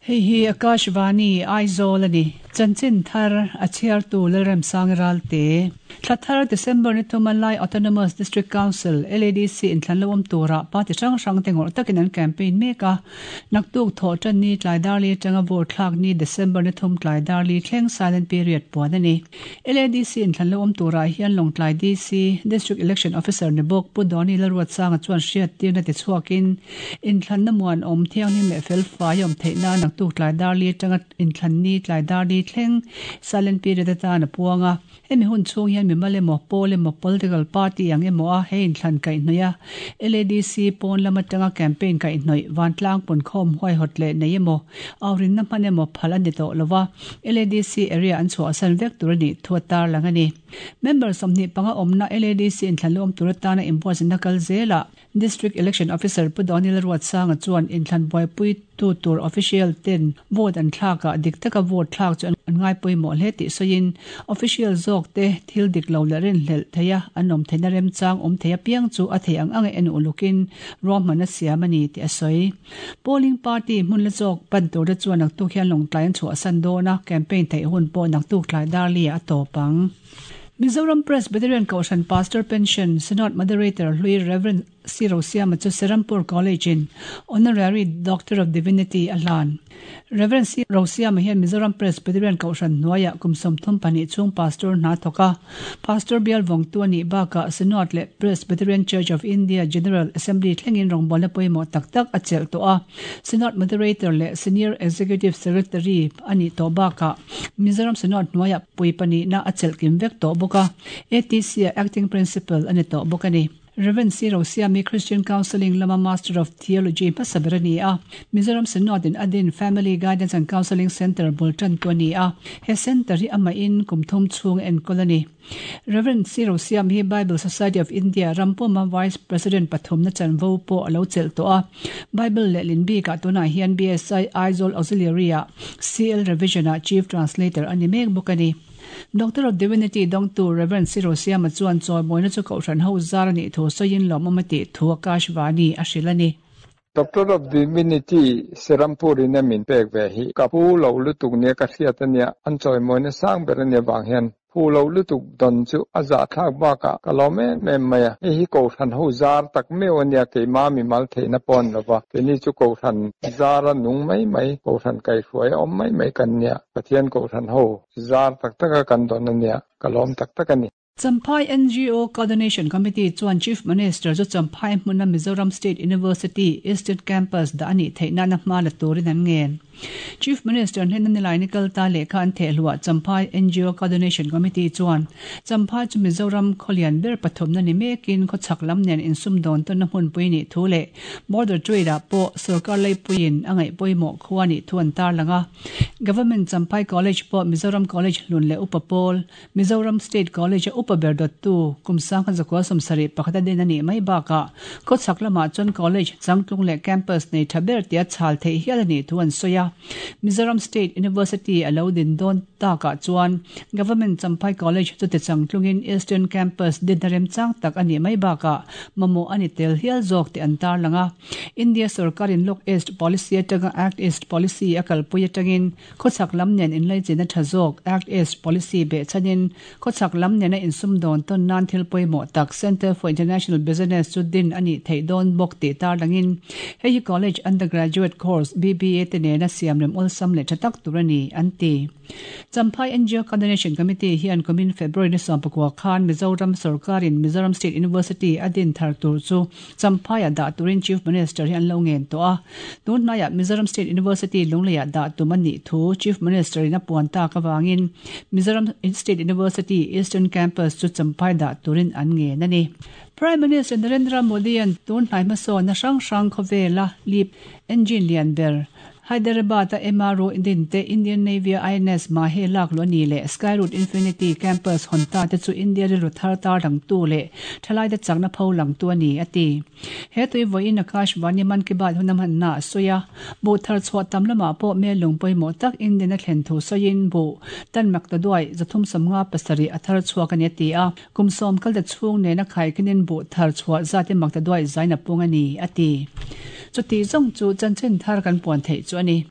Hei hi Akashvani, Aizawl a ni. Chanchin thar a chhiartu Lalremsang Ralte. Thla thar December ni thuma Lai Autonomous District Council, LADC, inthlan lo awm turah party hrang hrang te ngawrh takin an campaign mek a. Naktuk thawh tan ni tlai darli atanga vote thlak ni December ni thum tlai darli thleng silent period puan a ni. LADC inthlan lo awm turah hian Lawngtlai DC, District Election Officer ni bawk Pu Dawni Lalruatsanga chuan hriattirna ti chhuakin inthlanna muanawm thianghlim leh felfai a awm theih nan naktuk tlai darli atanga inthlan ni tlai darli thleng silent period atan a puang a. Hemi hun chhung hian mimal emaw, pawl emaw, political party ang emaw a he inthlan kaihhnawih a, LADC pawn lam atanga campaign kaihhnawih, vantlang punkhawm huaihawt leh nei emaw, aurinna hman emaw phal a ni tawh lo a, LADC area an chhuahsan vek tur a nih thu a tarlang a ni. Member 25 awmna LADC inthlan luam tur atana inbuatsaihna kal zelah District Election Officer Pu Daniel Ruatsanga chuan inthlan buaipui tu tur official ten vote an thlak ah dik taka vote thlak chu an ngai pawimawh hle tih sawiin official zawk te thil dik lo leh rinhlelh theih a an awm theihna remchang awm thei apiang chu a thei ang ang a en ulukin ruahman a siam a ni tih a sawi. Polling party hmun la zawk pan tur te chuan naktuk hian lawngtlai an chhuahsan dawn a, campaign theih hun pawh naktuk tlai darli ah a tawp ang. Mizoram Presbyterian Kohhran Pastor Pension Synod Moderator hlui Rev. C. Rosiama chu Serampore College in Honorary Doctor of Divinity a hlan. Rev. C. Rosiama hian Mizoram Presbyterian Kohhran hnuaiah kum 32 chhung Pastor hna thawk a, Pastor bial vawngtu a nih bakah Synod leh Presbyterian Church of India General Assembly thlengin rawngbawlna pawimawh tak tak a chelh tawh a, Synod Moderator leh Senior Executive Secretary a nih tawh bakah Mizoram Synod hnuaiah pui pahnihna a chelh kim vek tawh bawk a, ATC-ah Acting Principal a ni tawh bawk a ni. Rev. C. Rosiami Christian Counselling lama Master of Theology hmasa ber a ni a, Mizoram Synod-in a din Family Guidance and Counselling Centre bul tantu a ni a, he centre hi amahin kum thum chhung a enkawl a ni. Rev. C. Rosiam hi Bible Society of India ram puma Vice President pathumna chanvo pawh a lo chelh tawh a. Bible lehlin bikah tunah hian BSI Aizawl Auxiliary-ah CL Revision-ah Chief Translator a ni mek bawk a ni. Doctor of Divinity dawngtu Rev. C. Rosiama chuan chawimawina chu Kohhran ho zar a nih thu sawiin lawmawm a tih thu Akashvani a hrilh a ni. Doctor of Divinity Serampur in a min pek ve hi ka pu lo lutuk nia ka hriat a nia, an chawimawina sang ber a nia vang hian Phu lo lutuk dawn chu a zahthlak bakah ka lawm em em mai a, hei hi Kohhran ho zar tak meuh a nia, keimah mimal theihna pawh an lo va, keini chu Kohhran zara nung mai mai, Kohhran kaihruai a awm mai mai kan nia, Pathian Kohhran ho zar tak taka kan dawn a nia, ka lawm tak tak a ni. Champhai NGO Coordination Committee chuan Chief Minister chu Champhai hmuna Mizoram State University Eastern Campus dah a nih theih nana hma la turin an ngen. Chief Minister hnena nilai ni kal ta lehkha an thehluah Champhai NGO Coordination Committee chuan Champhai chu Mizoram khawlian ber pathumna ni mekin khawchhak lam nen insumdawn tawnna hmunpui nih thu leh Border Trade ah pawh sorkar leipuiin a ngaih pawimawh khua nih thu an tarlang a. Government Champhai College pawh Mizoram College hlun leh upa pawl Mizoram State College a upa ber dawttu kum 1971 a din a nih mai bakah khawchhak lamah chuan college changtlung leh campus nei tha ber tia chhal theih hial a nih thu an sawi a. Mizoram State University a lo din dawn takah chuan Government Champhai College chu ti changtlungin Eastern Campus dinna remchang tak a nih mai bakah mamawh a ni tel hial zawk tih an tarlang a. India sorkarin Look East Policy atanga Act East Policy a kalpui atangin Khawchhak lam nen inlaichin a tha zawk, Act East Policy behchhanin khawchhak lam nena insumdawn tawn nan thil pawimawh tak Centre for International Business chu din a nih theih dawn bawk tih tarlangin hei hi College Undergraduate Course, BBA, te nena siamrem awlsam leh tha tak tur a ni, an ti. Champhai NGO Coordination Committee hian kumin February ni 19 khan Mizoram sorkarin Mizoram State University a din thar tur chu Champhaiah dah turin Chief Minister hi an lo ngen tawh a. Tun hnaiah Mizoram State University Lungleiah dah tum a nih thu Chief Minister in a puan tak avangin Mizoram State University Eastern Campus chu Champhai dah turin an ngen a ni. Prime Minister Narendra Modi-a'n tun hnai hmasawnna hrang hrang khawvela lip engine lian ber Hyderabad-a MRO din te, Indian Navy-a INS Mahe lak luh a ni leh Skyroot Infinity Campus hawn ta te chu India rilru thar tar langtu leh thalaite chakna pho langtu a ni, a ti. He tui vawiin Akash Vani Mann Ki Baat hun a hmanna a sawi a, buh thar chhuah tam lamah pawh mel lung pawimawh tak Indian a thlen thu sawiin buh tan mak ta duai 357 a thar chhuak a ni a ti a, kum sawm kalta chhung nena khaikinin buh thar chhuah zat i mak ta duai zain a pung a ni, a ti. Chuti zawng chu chanchin thar kan puan theih chu a ni.